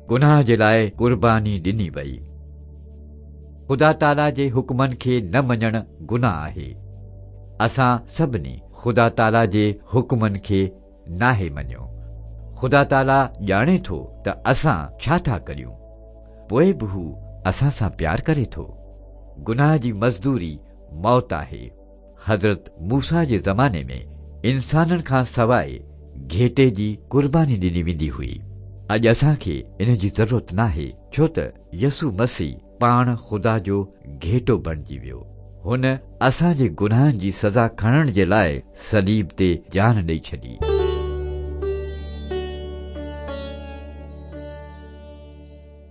گناهه جي لاء قرباني ڏني وئي. خدا تعاليٰ جي حڪمن کي نه مڃڻ گناهه آهي. اسان سڀني خدا تعاليٰ جي حڪمن کي ناهي مڃيو. خدا تعاليٰ ڄاڻي ٿو ته اسان ڇا ٿا ڪريون. پوء به هو اسان سان پيار ڪري ٿو. گناهه جي مزدوري موت آهي. حضرت موسيٰ جي زماني ۾ انسانن کان سواء گهيٽي جي قرباني ڏني ويندي هئي. اڄ اسان کي ان جي ضرورت ناهي ڇو ته يسوع مسيح پاڻ خدا جو گهيٽو بڻجي ويو. هن اسان جي گناهن جي سزا کڻڻ جي لاء صليب تي جان ڏئي ڇڏي.